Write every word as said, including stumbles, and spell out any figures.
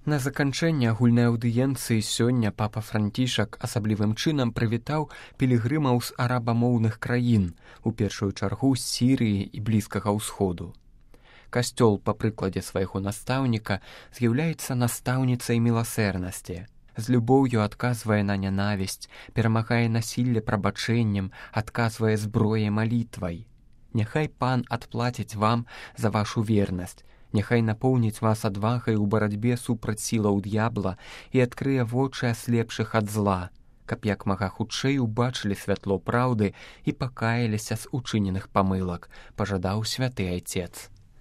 На заканчэнне агульнай аўдыенцыі сёння папа Францішак асаблівым чынам прывітаў пілігрымаў з арабамоўных краін, у першую чаргу з Сірыі і Блізкага ўсходу. Касцёл, па прыкладзе свайго настаўніка, з'яўляецца настаўніцай міласэрнасці. З любоўю адказвае на нянавісць, перамагае насілле прабачэннем, адказвае зброяй малітвай. Няхай пан адплаціць вам за вашу вернасць, няхай напоўніць вас адвагай у барацьбе супраць сілаў д'ябла і адкрые вочы аслепшых ад зла, каб як мага хутчэй убачылі святло праўды і пакаяліся з учыненых памылак, пажадаў святы айцец.